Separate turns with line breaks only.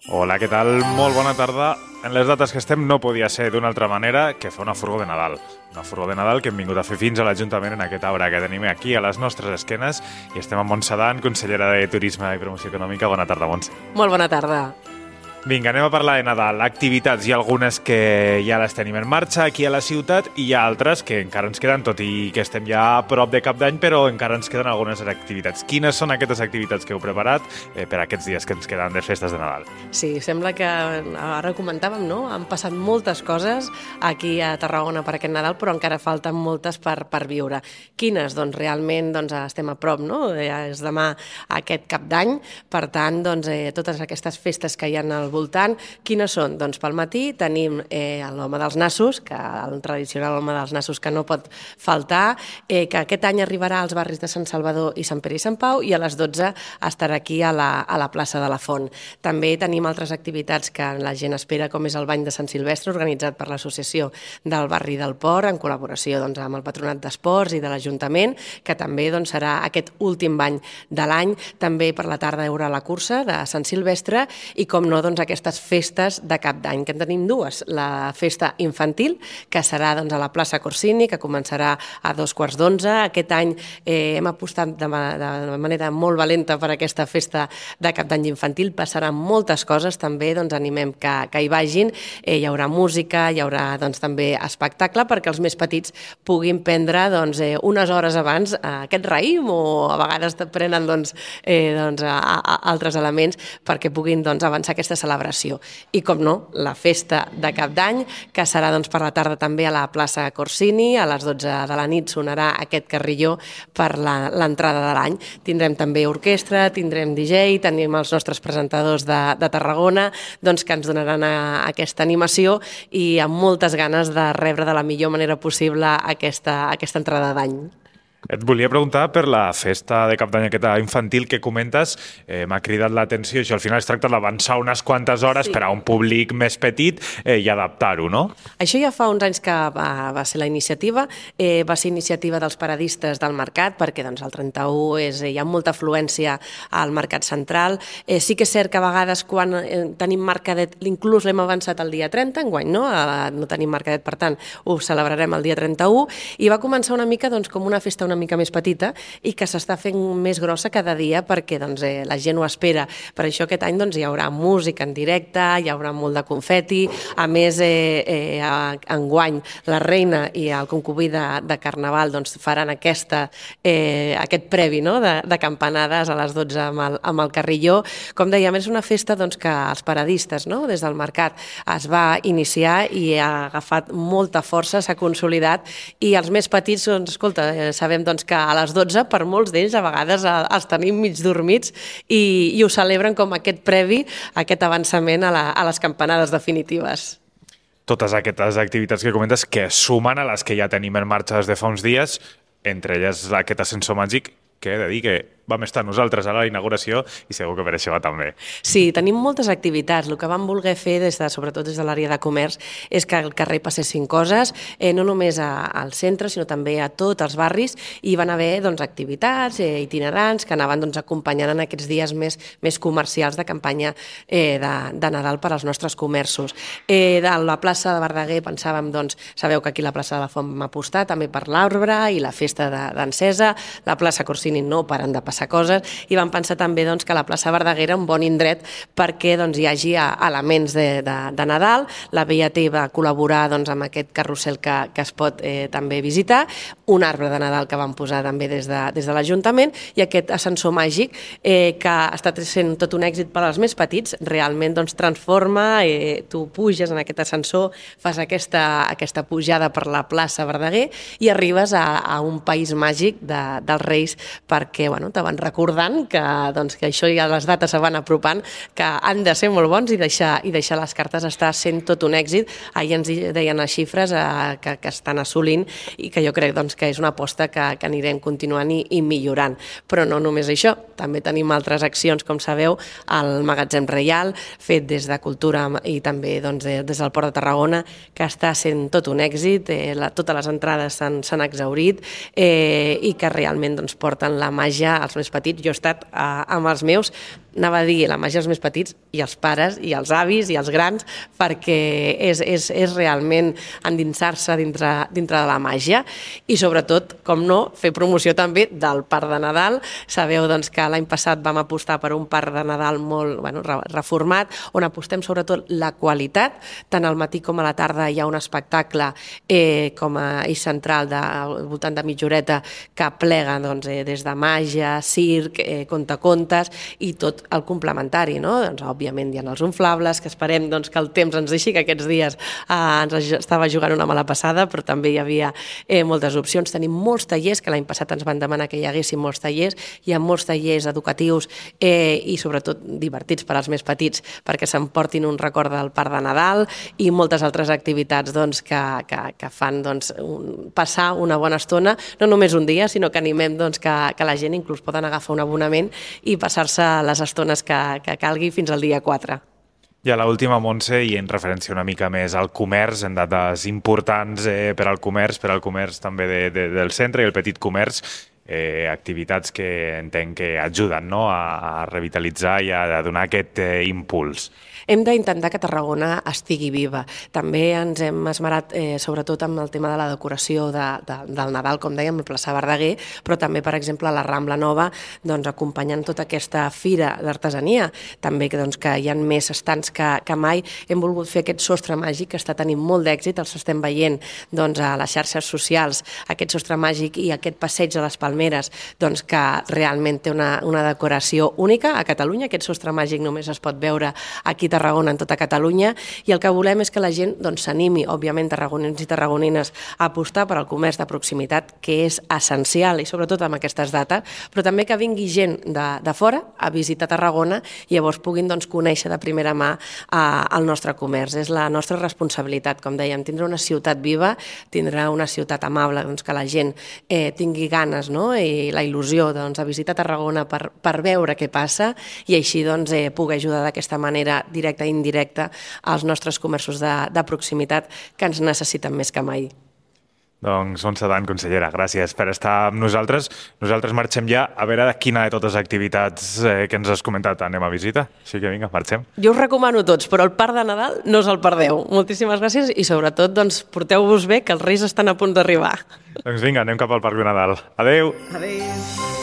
Hola, què tal? Molt bona tarda. En les dates que estem no podia ser d'una altra manera que fer una furgó de Nadal. Una furgó de Nadal que hem vingut a fer fins a l'Ajuntament en aquest arbre que tenim aquí a les nostres esquenes i estem amb Montse Dan, consellera de Turisme i Promoció Econòmica. Bona tarda, Montse.
Molt bona tarda.
Vinga, anem a parlar de Nadal. Activitats, hi ha algunes que ja les tenim en marxa aquí a la ciutat i hi ha altres que encara ens queden, tot i que estem ja a prop de Cap d'Any, però encara ens queden algunes activitats. Quines són aquestes activitats que heu preparat per aquests dies que ens queden de festes de Nadal?
Sí, sembla que ara comentàvem, no? Han passat moltes coses aquí a Tarragona per aquest Nadal, però encara falten moltes per viure. Quines? Doncs realment estem a prop, no? És demà aquest Cap d'Any, per tant, totes aquestes festes que hi ha al voltant. Quines són? Doncs pel matí tenim l'Home dels Nassos, que el tradicional Home dels Nassos que no pot faltar, que aquest any arribarà als barris de Sant Salvador i Sant Pere i Sant Pau i a les 12 estarà aquí a la plaça de la Font. També tenim altres activitats que la gent espera, com és el Bany de Sant Silvestre, organitzat per l'Associació del Barri del Port, en col·laboració amb el Patronat d'Esports i de l'Ajuntament, que també serà aquest últim bany de l'any. També per la tarda hi haurà la cursa de Sant Silvestre i, com no, aquestes festes de Cap d'Any, que en tenim dues. La festa infantil, que serà a la plaça Corsini, que començarà a 2:15. Aquest any hem apostat de manera molt valenta per aquesta festa de Cap d'Any infantil. Passaran moltes coses, també animem que hi vagin. Hi haurà música, hi haurà també espectacle, perquè els més petits puguin prendre unes hores abans aquest raïm, o a vegades prenen altres elements perquè puguin avançar aquesta celebració. I, com no, la festa de Cap d'Any, que serà per la tarda també a la plaça Corsini. A les 12 de la nit sonarà aquest carrilló per l'entrada de l'any. Tindrem també orquestra, tindrem DJ, tenim els nostres presentadors de Tarragona que ens donaran aquesta animació i amb moltes ganes de rebre de la millor manera possible aquesta entrada d'any.
Et volia preguntar per la festa de Cap d'Any aquesta infantil que comentes. M'ha cridat l'atenció. Això al final es tracta d'avançar unes quantes hores per a un públic més petit i adaptar-ho, no?
Això ja fa uns anys que va ser la iniciativa. Va ser iniciativa dels paradistes del mercat, perquè el 31 hi ha molta afluència al mercat central. Sí que és cert que a vegades quan tenim mercadet, inclús l'hem avançat el dia 30, enguany no tenim mercadet, per tant ho celebrarem el dia 31, i va començar una mica com una festa una mica més petita i que s'està fent més grossa cada dia perquè la gent ho espera. Per això aquest any hi haurà música en directe, hi haurà molt de confeti. A més, enguany la reina i el concubí de Carnaval faran aquest previ de campanades a les 12 amb el carrilló. Com dèiem, és una festa que els paradistes des del mercat es va iniciar i ha agafat molta força, s'ha consolidat, i els més petits, escolta, sabem que a les 12 per molts d'ells a vegades els tenim mig dormits i ho celebren com aquest previ, aquest avançament a les campanades definitives.
Totes aquestes activitats que comentes que sumen a les que ja tenim en marxa des de fa uns dies, entre elles aquest ascensor màgic, que he de dir que vam estar nosaltres a la inauguració i segur que per això va també.
Sí, tenim moltes activitats. El que vam voler fer, sobretot des de l'àrea de comerç, és que al carrer passessin coses, no només al centre, sinó també a tots els barris. Hi van haver activitats itinerants que anaven acompanyant en aquests dies més comercials de campanya de Nadal per als nostres comerços. De la plaça de Verdaguer pensàvem, sabeu que aquí a la plaça de la Font vam apostar també per l'arbre i la festa d'encesa. La plaça Corsini no paren de passar coses, i vam pensar també que la plaça Verdaguer era un bon indret perquè hi hagi elements de Nadal. La BIAT va col·laborar amb aquest carrusel que es pot també visitar, un arbre de Nadal que vam posar també des de l'Ajuntament, i aquest ascensor màgic que ha estat sent tot un èxit per als més petits. Realment transforma, tu puges en aquest ascensor, fas aquesta pujada per la plaça Verdaguer i arribes a un país màgic dels Reis, perquè te van recordant que això ja les dates se van apropant, que han de ser molt bons i deixar les cartes està sent tot un èxit. Ahir ens deien les xifres que estan assolint i que jo crec que és una aposta que anirem continuant i millorant. Però no només això, també tenim altres accions, com sabeu, al Magatzem Reial, fet des de Cultura i també des del Port de Tarragona, que està sent tot un èxit. Totes les entrades s'han exhaurit i que realment porten la màgia als més petits. Jo he estat amb els meus anava a dir la màgia dels més petits i els pares i els avis i els grans, perquè és realment endinsar-se dintre de la màgia i sobretot, com no, fer promoció també del Parc de Nadal. Sabeu doncs, que l'any passat vam apostar per un Parc de Nadal molt reformat, on apostem sobretot la qualitat, tant al matí com a la tarda hi ha un espectacle com a eix central al voltant de mitja horeta que plega des de màgia, circ, contacontes i tot el complementari, no? Doncs, òbviament hi ha els inflables, que esperem que el temps ens deixi, que aquests dies ens estava jugant una mala passada, però també hi havia moltes opcions. Tenim molts tallers, que l'any passat ens van demanar que hi haguessin molts tallers, hi ha molts tallers educatius i sobretot divertits per als més petits, perquè s'emportin un record del Parc de Nadal i moltes altres activitats que fan passar una bona estona, no només un dia, sinó que animem que la gent inclús poden agafar un abonament i passar-se les estones que calgui fins al dia 4.
I a l'última, Montse, i en referència una mica més al comerç, en dates importants per al comerç també del centre i el petit comerç, activitats que entenc que ajuden a revitalitzar i a donar aquest impuls.
Hem d'intentar que Tarragona estigui viva. També ens hem esmerat sobretot amb el tema de la decoració del Nadal, com dèiem, el plaça Verdaguer, però també, per exemple, a la Rambla Nova, acompanyant tota aquesta fira d'artesania. També que hi ha més estants que mai. Hem volgut fer aquest sostre màgic que està tenint molt d'èxit, els estem veient a les xarxes socials, aquest sostre màgic i aquest passeig de les Palmeres, que realment té una decoració única a Catalunya. Aquest sostre màgic només es pot veure aquí a Tarragona, en tota Catalunya, i el que volem és que la gent s'animi, òbviament, tarragonins i tarragonines, a apostar per al comerç de proximitat, que és essencial, i sobretot amb aquestes dates, però també que vingui gent de fora a visitar Tarragona i llavors puguin conèixer de primera mà el nostre comerç. És la nostra responsabilitat, com dèiem, tindre una ciutat viva, tindre una ciutat amable, que la gent tingui ganes i la il·lusió de visitar Tarragona per veure què passa i així poder ajudar d'aquesta manera directa i indirecta als nostres comerços de proximitat que ens necessiten més que mai.
Doncs, Montse Dan, consellera, gràcies per estar amb nosaltres. Nosaltres marxem ja a veure quina de totes les activitats que ens has comentat anem a visita. Així que vinga, marxem.
Jo us recomano tots, però el Parc de Nadal no us el perdeu. Moltíssimes gràcies i sobretot porteu-vos bé, que els Reis estan a punt d'arribar.
Doncs vinga, anem cap al Parc de Nadal. Adéu!
Adéu!